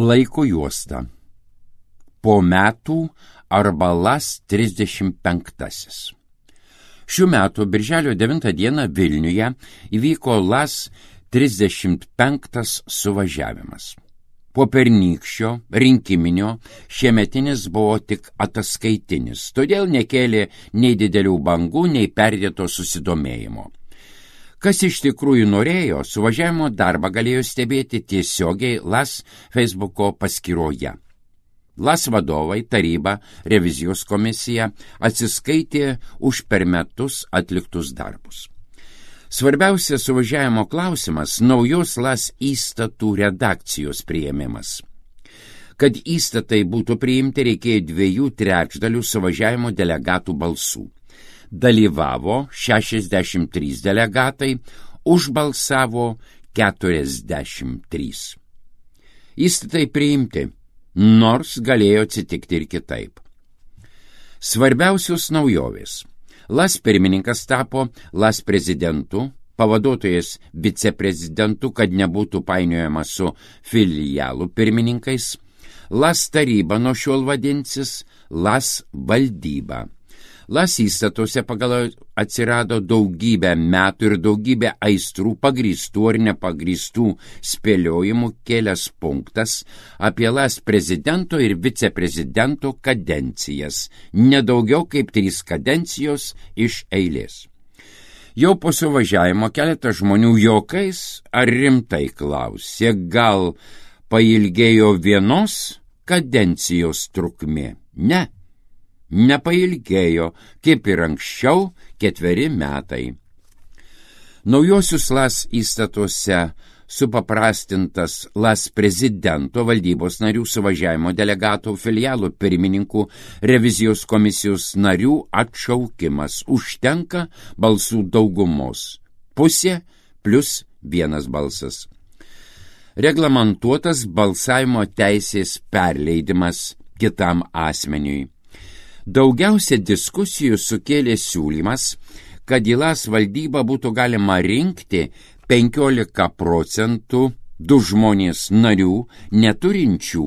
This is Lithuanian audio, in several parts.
Laiko juosta. Po metų arba LAS 35. Šių metų birželio 9 dieną Vilniuje įvyko LAS 35 suvažiavimas. Po pernykščio rinkiminio šiemetinis buvo tik ataskaitinis, todėl nekėlė nei didelių bangų, nei perdėto susidomėjimo. Kas iš tikrųjų norėjo, suvažiavimo darbą galėjo stebėti tiesiogiai LAS Facebooko paskyroje. LAS vadovai, taryba, revizijos komisija atsiskaitė už per metus atliktus darbus. Svarbiausias suvažiavimo klausimas – naujos LAS įstatų redakcijos priėmimas. Kad įstatai būtų priimti, reikėjo 2/3 suvažiavimo delegatų balsų. Dalyvavo 63 delegatai, užbalsavo 43. Įstatai priimti, nors galėjo atsitikti ir kitaip. Svarbiausios naujovės. LAS pirmininkas tapo LAS prezidentu, pavaduotojas viceprezidentu, kad nebūtų painiojama su filialų pirmininkais. LAS taryba nuo šiol vadinsis LAS valdyba. LAS įstatuose pagal atsirado daugybę metų ir daugybę aistrų pagrįstų ar nepagrįstų spėliojimų kelias punktas apie LAS prezidento ir viceprezidento kadencijas, nedaugiau kaip 3 kadencijos iš eilės. Jau po suvažiavimo keletas žmonių juokais ar rimtai klausė, gal pailgėjo vienos kadencijos trukmė? Ne. Nepailgėjo, kaip ir anksčiau, 4 metai. Naujosius LAS įstatuose supaprastintas LAS prezidento, valdybos narių, suvažiavimo delegatų, filialų pirmininkų, revizijos komisijos narių atšaukimas. Užtenka balsų daugumos. Pusė plus 1 balsas. Reglamentuotas balsavimo teisės perleidimas kitam asmeniui. Daugiausia diskusijų sukėlė siūlymas, kad į LAS valdybą būtų galima rinkti 15% 2 žmonės narių neturinčių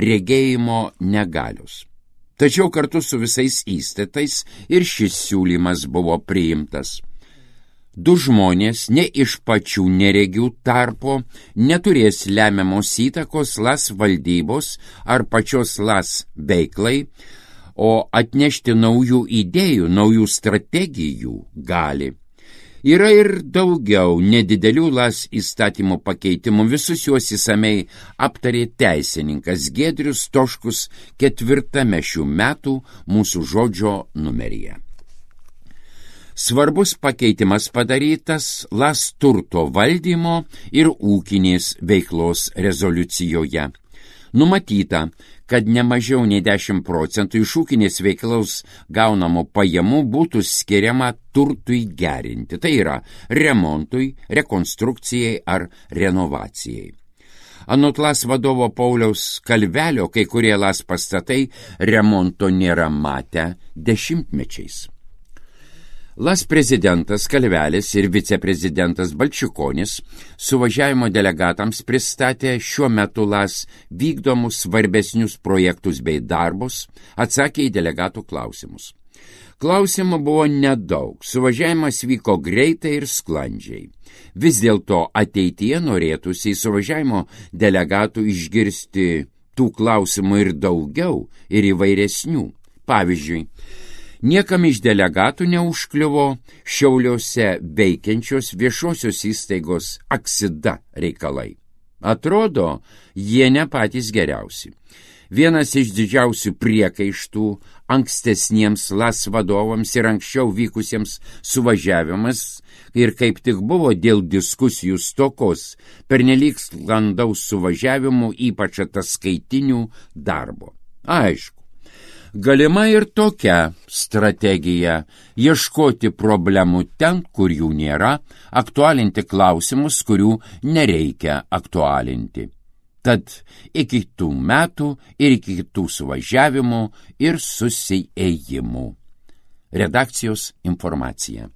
regėjimo negalios. Tačiau kartu su visais įstatais ir šis siūlymas buvo priimtas. 2 žmonės ne iš pačių neregių tarpo neturės lemiamos įtakos LAS valdybos ar pačios LAS veiklai, o atnešti naujų idėjų, naujų strategijų gali. Yra ir daugiau nedidelių LAS įstatymų pakeitimų, visus juos įsamei aptarė teisininkas Giedrius Toškus 4 šių metų mūsų žodžio numeryje. Svarbus pakeitimas padarytas LAS turto valdymo ir ūkinės veiklos rezoliucijoje. Numatyta, kad ne mažiau nei 10% iš ūkinės veiklos gaunamų pajamų būtų skiriama turtui gerinti, tai yra remontui, rekonstrukcijai ar renovacijai. Anot LAS vadovo Pauliaus Kalvelio, kai kurie LAS pastatai remonto nėra matę dešimtmečiais. LAS prezidentas Kalvelis ir viceprezidentas Balčikonis suvažiavimo delegatams pristatė šiuo metu LAS vykdomus svarbesnius projektus bei darbus, atsakė į delegatų klausimus. Klausimų buvo nedaug, suvažiavimas vyko greitai ir sklandžiai. Vis dėlto ateityje norėtųsi į suvažiavimo delegatų išgirsti tų klausimų ir daugiau, ir įvairesnių. Pavyzdžiui, niekam iš delegatų neužkliuvo Šiauliuose veikiančios viešosios įstaigos Aksida reikalai. Atrodo, jie ne patys geriausi. Vienas iš didžiausių priekaištų ankstesniems LAS vadovams ir anksčiau vykusiems suvažiavimas ir kaip tik buvo dėl diskusijų stokos pernelyg sklandaus suvažiavimų, ypač ataskaitinių darbo. Aišku, galima ir tokia strategija – ieškoti problemų ten, kur jų nėra, aktualinti klausimus, kurių nereikia aktualinti. Tad iki kitų metų ir iki kitų suvažiavimų ir susiėjimų. Redakcijos informacija.